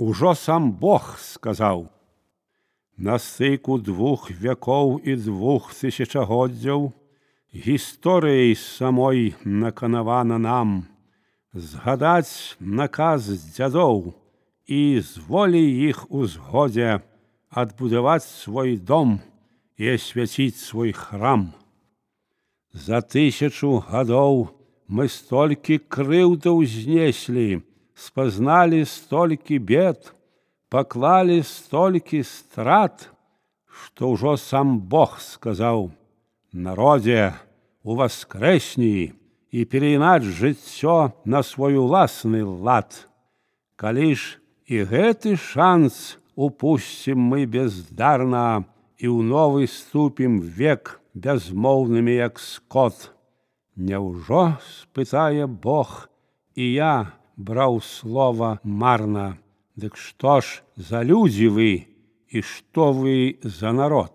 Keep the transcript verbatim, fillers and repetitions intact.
Ужо сам Бог сказаў: на стыку двух вякоў і двух тысячагоддзяў гісторыяй самой наканавана нам згадаць наказ дзядоў і з волі іх узгодзе адбудаваць свой дом і асвяціць свой храм. За тысячу гадоў мы столькі крыўдаў знеслі, спазналі столькі бед, паклалі столькі страт, што ўжо сам Бог сказаў: народзе, уваскрэсні і перайнаць жыццё на свой уласны лад. Калі ж і гэты шанс упусцім мы бездарна і ў новы ступім век бязмоўнымі, як скот, няўжо, спытае Бог, і я браў слова марна? Дык што ж за людзі вы і што вы за народ?